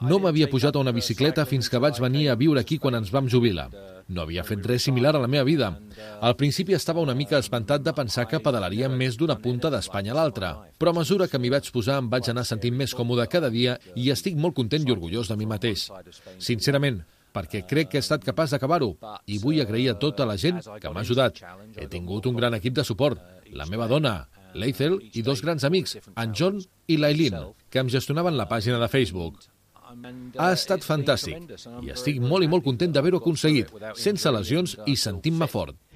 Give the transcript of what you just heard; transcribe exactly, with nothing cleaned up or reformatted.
No m'havia pujat a una bicicleta fins que vaig venir a viure aquí quan ens vam jubilar. No havia fet res similar a la meva vida. Al principi estava una mica espantat de pensar que pedalaria més d'una punta d'Espanya a l'altra, però a mesura que m'hi vaig posar em vaig anar sentint més còmode cada dia i estic molt content i orgullós de mi mateix. Sincerament, perquè crec que he estat capaç d'acabar-ho i vull agrair a tota la gent que m'ha ajudat. He tingut un gran equip de suport, la meva dona, l'Ethel, i dos grans amics, en John i l'Aileen, que em gestionaven la pàgina de Facebook. Ha estat fantàstic i estic molt i molt content d'haver-ho aconseguit, sense lesions i sentint-me fort.